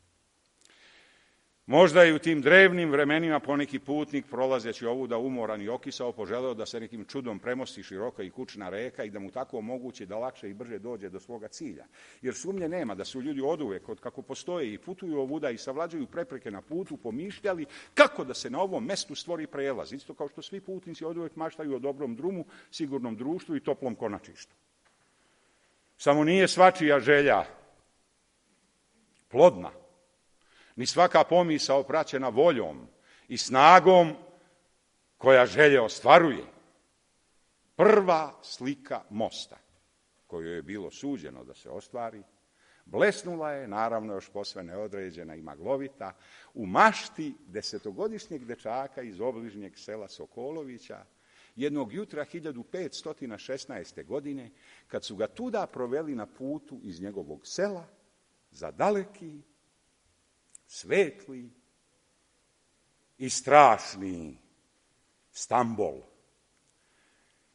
S7: Možda je u tim drevnim vremenima poneki putnik, prolazeći ovuda umoran i okisao, poželeo da se nekim čudom premosti široka i kućna reka i da mu tako omogući da lakše i brže dođe do svoga cilja. Jer sumnje nema da su ljudi oduvek, kako postoje i putuju ovuda i savlađuju prepreke na putu, pomišljali kako da se na ovom mestu stvori prelaz. Isto kao što svi putnici oduvek maštaju o dobrom drumu, sigurnom društvu i toplom konačištu. Samo nije svačija želja plodna, ni svaka pomisao praćena voljom i snagom koja želje ostvaruje. Prva slika mosta, koju je bilo suđeno da se ostvari, blesnula je, naravno još posve neodređena i maglovita, u mašti 10-godišnjeg dečaka iz obližnjeg sela Sokolovića, jednog jutra 1516. godine, kad su ga tuda proveli na putu iz njegovog sela za daleki, svetli i strašni Stambol.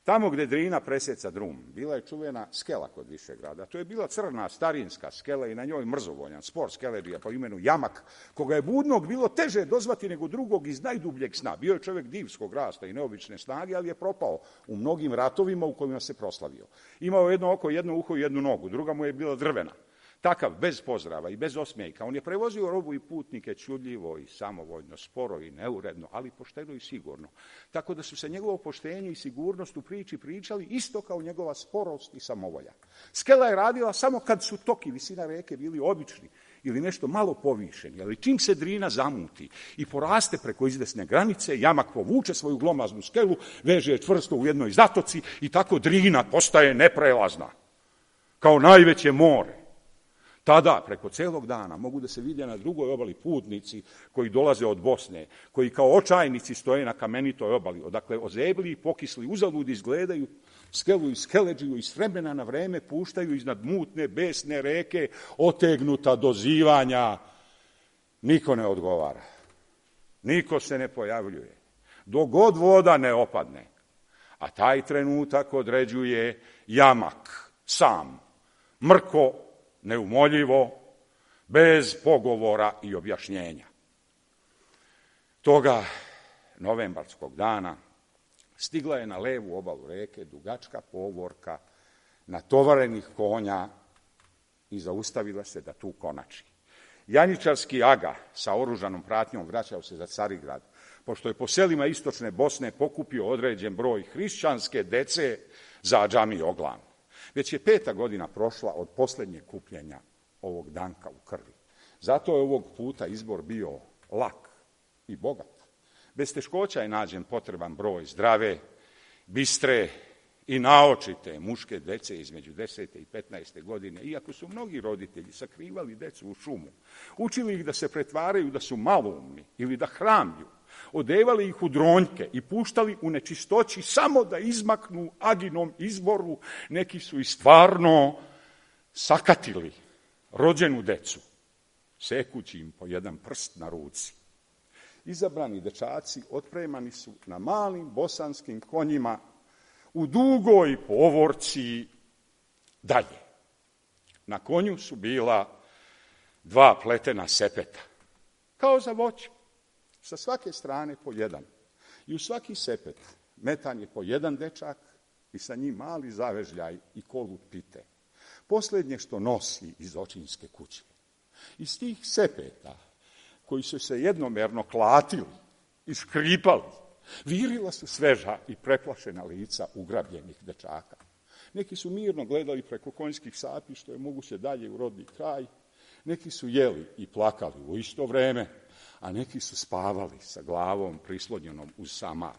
S7: Tamo gde Drina preseca drum, bila je čuvena skela kod Višegrada. To je bila crna, starinska skela i na njoj mrzovoljan spor skeleđija po imenu Jamak, koga je budnog bilo teže dozvati nego drugog iz najdubljeg sna. Bio je čovjek divskog rasta i neobične snage, ali je propao u mnogim ratovima u kojima se proslavio. Imao jedno oko, jedno uho i jednu nogu, druga mu je bila drvena. Takav, bez pozdrava i bez osmijeka. On je prevozio robu i putnike čudljivo i samovoljno, sporo i neuredno, ali pošteno i sigurno. Tako da su se njegovo poštenje i sigurnost u priči pričali isto kao njegova sporost i samovolja. Skela je radila samo kad su tok i visina reke bili obični ili nešto malo povišeni, ali čim se Drina zamuti i poraste preko izvesne granice, Jamak povuče svoju glomaznu skelu, veže je čvrsto u jednoj zatoci i tako Drina postaje neprelazna, kao najveće more. Tada, preko celog dana, mogu da se vide na drugoj obali putnici koji dolaze od Bosne, koji kao očajnici stoje na kamenitoj obali, odakle ozebli i pokisli uzalud izgledaju skelu i skeleđiju i s vremena na vreme puštaju iznad mutne, besne reke, otegnuta do zivanja. Niko ne odgovara. Niko se ne pojavljuje. Dok god voda ne opadne. A taj trenutak određuje Jamak, sam, mrko neumoljivo, bez pogovora i objašnjenja. Toga novembarskog dana stigla je na levu obalu reke dugačka povorka natovarenih konja i zaustavila se da tu konači. Janjičarski aga sa oružanom pratnjom vraćao se za Carigrad, pošto je po selima istočne Bosne pokupio određen broj hrišćanske dece za džamiju Oglan. Već je 5. godina prošla od posljednjeg kupljenja ovog danka u krvi. Zato je ovog puta izbor bio lak i bogat. Bez teškoća je nađen potreban broj zdrave, bistre i naočite muške dece između 10. i 15. godine, iako su mnogi roditelji sakrivali decu u šumu, učili ih da se pretvaraju da su maloumni ili da hramlju, odevali ih u dronjke i puštali u nečistoći samo da izmaknu aginom izboru, neki su i stvarno sakatili rođenu decu, sekući im po jedan prst na ruci. Izabrani dečaci otpremani su na malim bosanskim konjima u dugoj povorci dalje. Na konju su bila 2 pletena sepeta, kao za voće, sa svake strane po jedan. I u svaki sepet metan je po jedan dečak i sa njim mali zavežljaj i kolut pite. Posljednje što nosi iz očinske kuće. Iz tih sepeta, koji su se jednomerno klatili i škripali, virila su sveža i preplašena lica ugrabljenih dečaka. Neki su mirno gledali preko konjskih sapi što je moguće dalje u rodni kraj, neki su jeli i plakali u isto vreme, a neki su spavali sa glavom prislonjenom uz samar.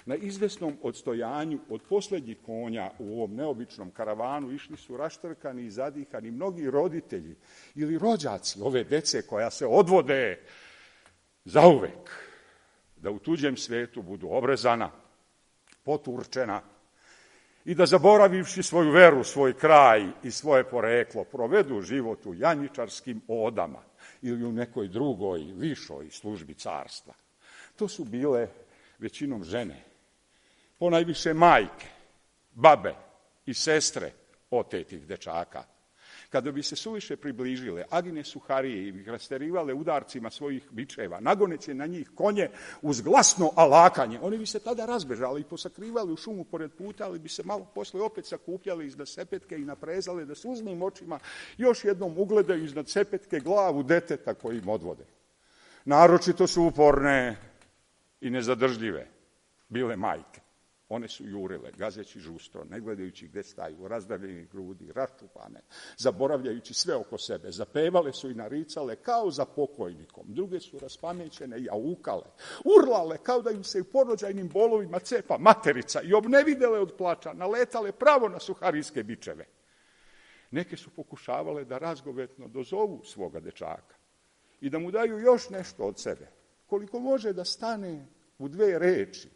S7: Na izvesnom odstojanju od posljednjih konja u ovom neobičnom karavanu išli su raštrkani i zadihani mnogi roditelji ili rođaci ove dece koja se odvode zauvek, da u tuđem svetu budu obrezana, poturčena i da zaboravivši svoju veru, svoj kraj i svoje poreklo, provedu život u janjičarskim odama ili u nekoj drugoj, višoj službi carstva. To su bile većinom žene, ponajviše majke, babe i sestre otetih dečaka. Kada bi se suviše približile, agine suharije i bi rasterivale udarcima svojih bičeva, nagoneće na njih konje uz glasno alakanje, oni bi se tada razbežali i posakrivali u šumu pored puta, ali bi se malo posle opet sakupljali iznad sepetke i naprezale da suznim očima još jednom ugledaju iznad sepetke glavu deteta koji im odvode. Naročito su uporne i nezadržljive bile majke. One su jurile, gazeći žustro, ne gledajući gde staju, razdavljenih grudi, raščupane, zaboravljajući sve oko sebe. Zapevale su i naricale kao za pokojnikom. Druge su raspamećene i aukale, urlale kao da im se u porođajnim bolovima cepa materica i obnevidele od plača, naletale pravo na suharijske bičeve. Neke su pokušavale da razgovetno dozovu svoga dečaka i da mu daju još nešto od sebe, koliko može da stane u 2 reči,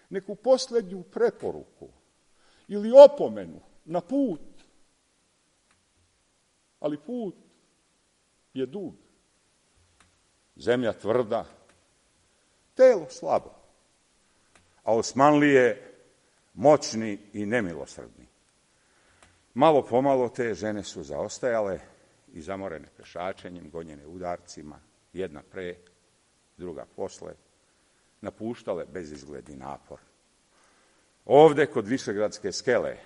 S7: neku posljednju preporuku ili opomenu na put. Ali put je dug, zemlja tvrda, telo slabo, a Osmanlije moćni i nemilosrdni. Malo pomalo te žene su zaostajale i zamorene pešačenjem, gonjene udarcima, jedna pre, druga posle, napuštale bezizgledni napor. Ovde, kod Višegradske skele,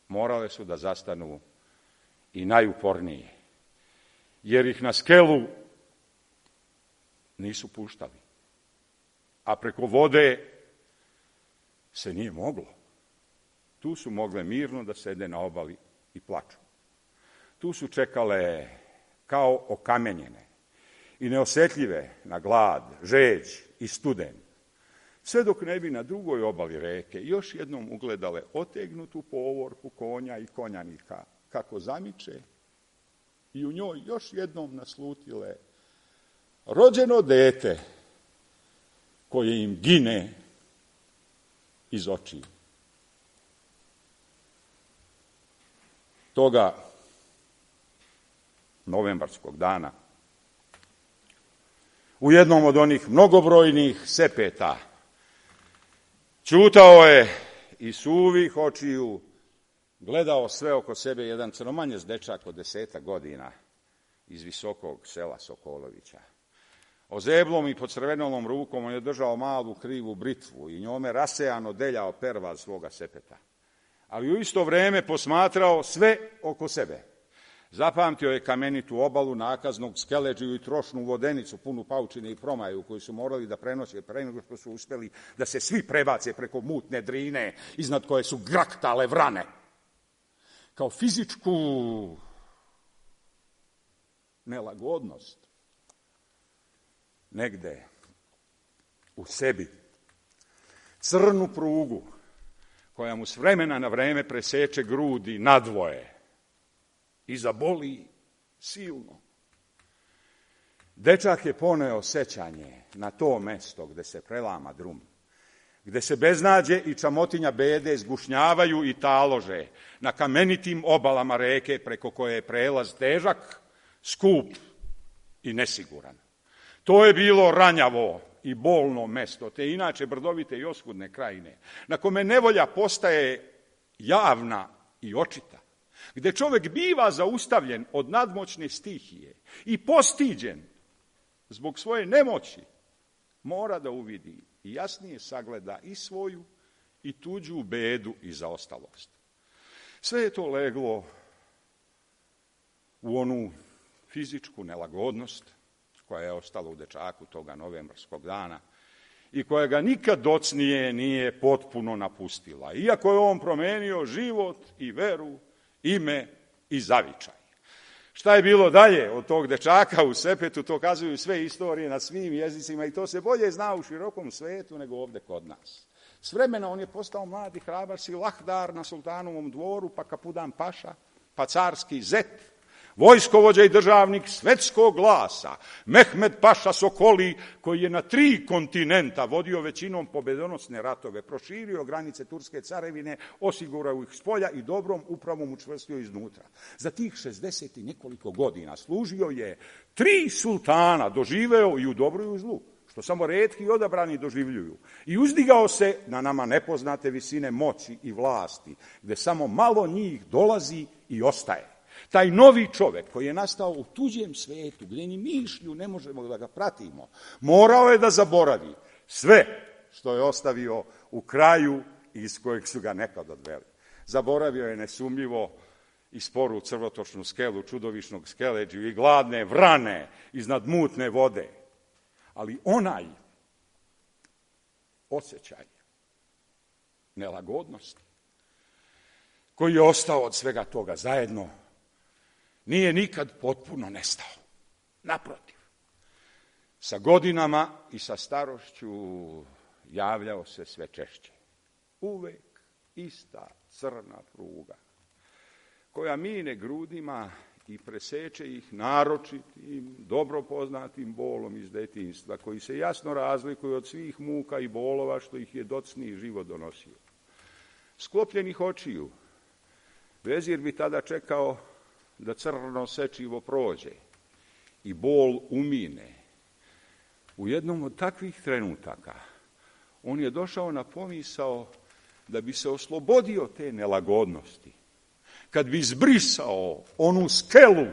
S7: morale su da zastanu i najupornije, jer ih na skelu nisu puštali, a preko vode se nije moglo. Tu su mogle mirno da sede na obali i plaču. Tu su čekale kao okamenjene i neosetljive na glad, žeđ i studen, sve dok ne bi na drugoj obali reke još jednom ugledale otegnutu povorku konja i konjanika kako zamiče i u njoj još jednom naslutile rođeno dete koje im gine iz očiju. Toga novembarskog dana u jednom od onih mnogobrojnih sepeta ćutao je i suvih očiju gledao sve oko sebe jedan crnomanjec dečak od 10 godina iz visokog sela Sokolovića. Ozeblom i pocrvenelom rukom on je držao malu krivu britvu i njome rasejano deljao pervaz svoga sepeta. Ali u isto vreme posmatrao sve oko sebe. Zapamtio je kamenitu obalu, nakaznog skeleđiju i trošnu vodenicu punu paučine i promaju koju su morali da prenose pre nego što su uspeli da se svi prebace preko mutne Drine iznad koje su graktale vrane. Kao fizičku nelagodnost negde u sebi, crnu prugu koja mu s vremena na vreme preseče grudi nadvoje i zaboli silno. Dečak je poneo sećanje na to mesto gde se prelama drum, gde se beznađe i čamotinja bede zgušnjavaju i talože na kamenitim obalama reke preko koje je prelaz težak, skup i nesiguran. To je bilo ranjavo i bolno mesto, te inače brdovite i oskudne krajine, na kome nevolja postaje javna i očita, gde čovek biva zaustavljen od nadmoćne stihije i postiđen zbog svoje nemoći, mora da uvidi i jasnije sagleda i svoju i tuđu bedu i zaostalost. Sve je to leglo u onu fizičku nelagodnost koja je ostala u dečaku toga novembarskog dana i koja ga nikad docnije nije potpuno napustila, iako je on promenio život i veru, ime i zavičaj. Šta je bilo dalje od tog dečaka u sepetu, to kazuju sve istorije na svim jezicima i to se bolje zna u širokom svetu nego ovde kod nas. S vremena on je postao mladi hrabar silahdar na sultanovom dvoru, pa kapudan paša, pa carski zet, vojskovođa i državnik svetskog glasa, Mehmed paša Sokoli, koji je na 3 kontinenta vodio većinom pobedonosne ratove, proširio granice Turske carevine, osigurao ih spolja i dobrom upravom učvrstio iznutra. Za tih 60 i nekoliko godina služio je 3 sultana, doživeo i u dobru i u zlu, što samo retki i odabrani doživljuju. I uzdigao se na nama nepoznate visine moći i vlasti, gde samo malo njih dolazi i ostaje. Taj novi čovek koji je nastao u tuđem svetu, gdje ni mišlju ne možemo da ga pratimo, morao je da zaboravi sve što je ostavio u kraju iz kojeg su ga nekad odveli. Zaboravio je nesumljivo i sporu crvotočnu skelu, čudovišnog skeleđu i gladne vrane iznad mutne vode. Ali onaj osjećaj nelagodnosti koji je ostao od svega toga zajedno nije nikad potpuno nestao. Naprotiv, sa godinama i sa starošću javljao se sve češće. Uvek ista crna pruga, koja mine grudima i preseče ih naročitim, dobro poznatim bolom iz detinjstva, koji se jasno razlikuju od svih muka i bolova što ih je docniji život donosio. Sklopljenih očiju, vezir bi tada čekao da crno sečivo prođe i bol umine. U jednom od takvih trenutaka on je došao na pomisao da bi se oslobodio te nelagodnosti, kad bi izbrisao onu skelu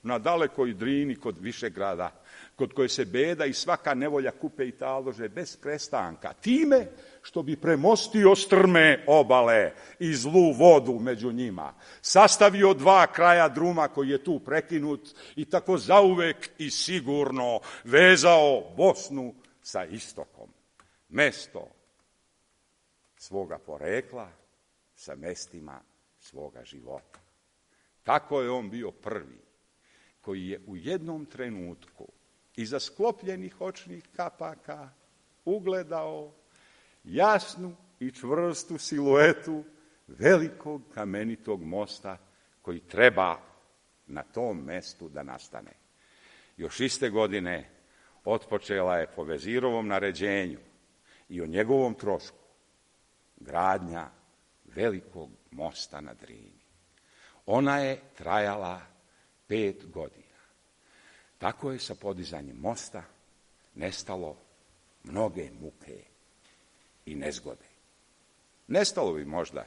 S7: na dalekoj Drini kod Višegrada, kod koje se beda i svaka nevolja kupe i talože bez prestanka, time što bi premostio strme obale i zlu vodu među njima, sastavio 2 kraja druma koji je tu prekinut i tako zauvek i sigurno vezao Bosnu sa istokom, mesto svoga porekla sa mestima svoga života. Tako je on bio prvi koji je u jednom trenutku iza sklopljenih očnih kapaka ugledao jasnu i čvrstu siluetu velikog kamenitog mosta koji treba na tom mestu da nastane. Još iste godine otpočela je po vezirovom naređenju i o njegovom trošku gradnja velikog mosta na Drini. Ona je trajala 5 godina. Tako je sa podizanjem mosta nestalo mnoge muke i nezgode. Nestalo bi možda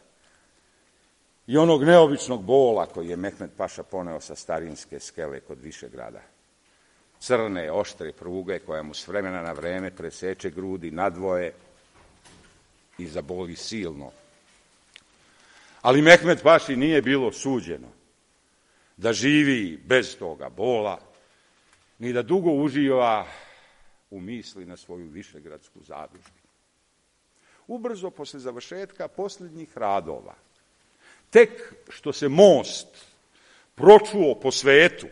S7: i onog neobičnog bola koji je Mehmed Paša poneo sa starinske skele kod Višegrada. Crne, oštre pruge koja mu s vremena na vreme preseče grudi nadvoje i zaboli silno. Ali Mehmed Paši nije bilo suđeno da živi bez toga bola, ni da dugo uživa u misli na svoju višegradsku zadužbinu. Ubrzo posle završetka posljednjih radova, tek što se most pročuo po svetu,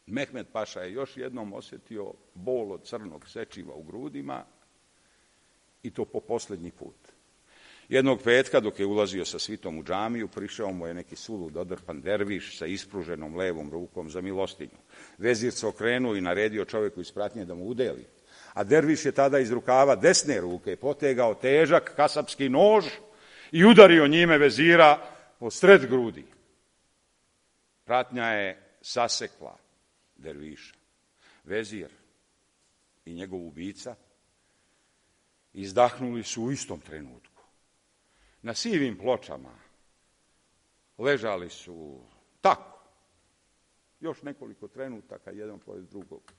S7: Mehmed Paša je još jednom osjetio bol od crnog sečiva u grudima, i to po posljednji put. Jednog petka, dok je ulazio sa svitom u džamiju, prišao mu je neki sulud odrpan derviš sa ispruženom levom rukom za milostinju. Vezir se okrenuo i naredio čovjeku iz pratnje da mu udeli, a derviš je tada iz rukava desne ruke potegao težak kasapski nož i udario njime vezira po sred grudi. Pratnja je sasekla derviša. Vezir i njegov ubica izdahnuli su u istom trenutku. Na sivim pločama ležali su tako, još nekoliko trenutaka, jedan pored drugog.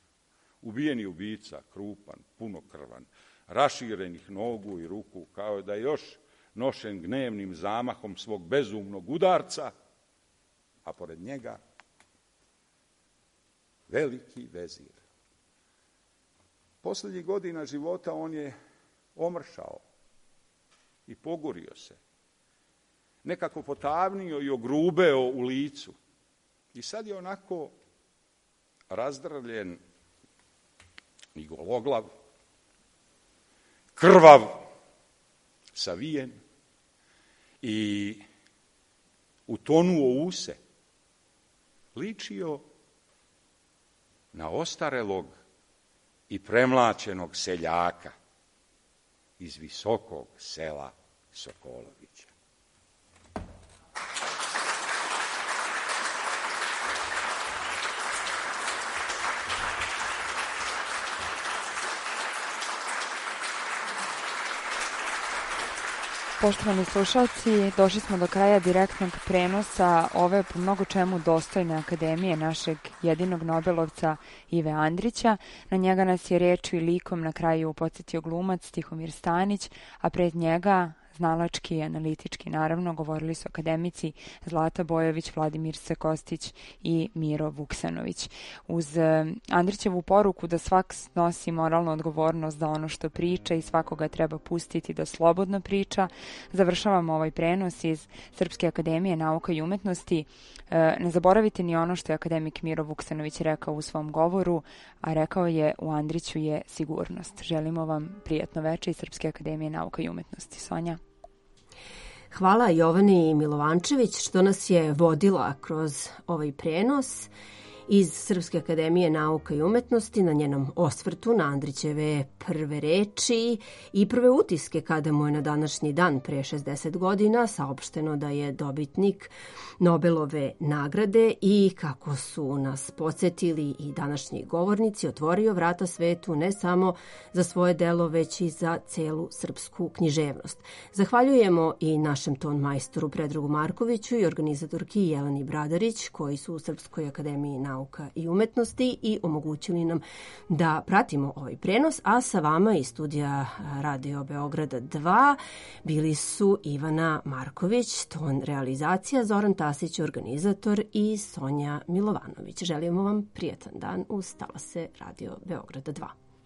S7: Ubijeni ubica, krupan, punokrvan, raširenih nogu i ruku, kao da je još nošen gnevnim zamahom svog bezumnog udarca, a pored njega veliki vezir. Posljednjih godina života on je omršao i pogurio se, nekako potavnio i ogrubeo u licu. I sad je onako razdrljen i gologlav, krvav, savijen i utonuo u se. Ličio na ostarelog i premlaćenog seljaka iz visokog sela Sokolovića.
S3: Poštovani slušalci, došli smo do kraja direktnog prenosa ove po mnogo čemu dostojne akademije našeg jedinog Nobelovca Ive Andrića. Na njega nas je rečju i likom na kraju podsjetio glumac Tihomir Stanić, a pred njega znalački i analitički, naravno, govorili su akademici Zlata Bojović, Vladimir Sekostić i Miro Vuksanović. Uz Andrićevu poruku da svak nosi moralnu odgovornost za ono što priča i svakoga treba pustiti da slobodno priča, završavamo ovaj prenos iz Srpske akademije nauka i umetnosti. Ne zaboravite ni ono što je akademik Miro Vuksanović rekao u svom govoru, a rekao je: u Andriću je sigurnost. Želimo vam prijatno veče iz Srpske akademije nauka i umetnosti. Sonja.
S2: Hvala Jovani Milovančević što nas je vodila kroz ovaj prenos iz Srpske akademije nauka i umetnosti na njenom osvrtu na Andrićeve prve reči i prve utiske kada mu je na današnji dan pre 60 godina saopšteno da je dobitnik Nobelove nagrade i kako su nas podsjetili i današnji govornici, otvorio vrata svetu ne samo za svoje delo, već i za celu srpsku književnost. Zahvaljujemo i našem ton majstoru Predragu Markoviću i organizatorki Jeleni Bradarić, koji su u Srpskoj akademiji nauka i umetnosti i omogućili nam da pratimo ovaj prenos, a sa vama iz studija Radio Beograda 2 bili su Ivana Marković, ton realizacija, Zoran Tasić, organizator, i Sonja Milovanović. Želimo vam prijatan dan uz talase Radio Beograda 2.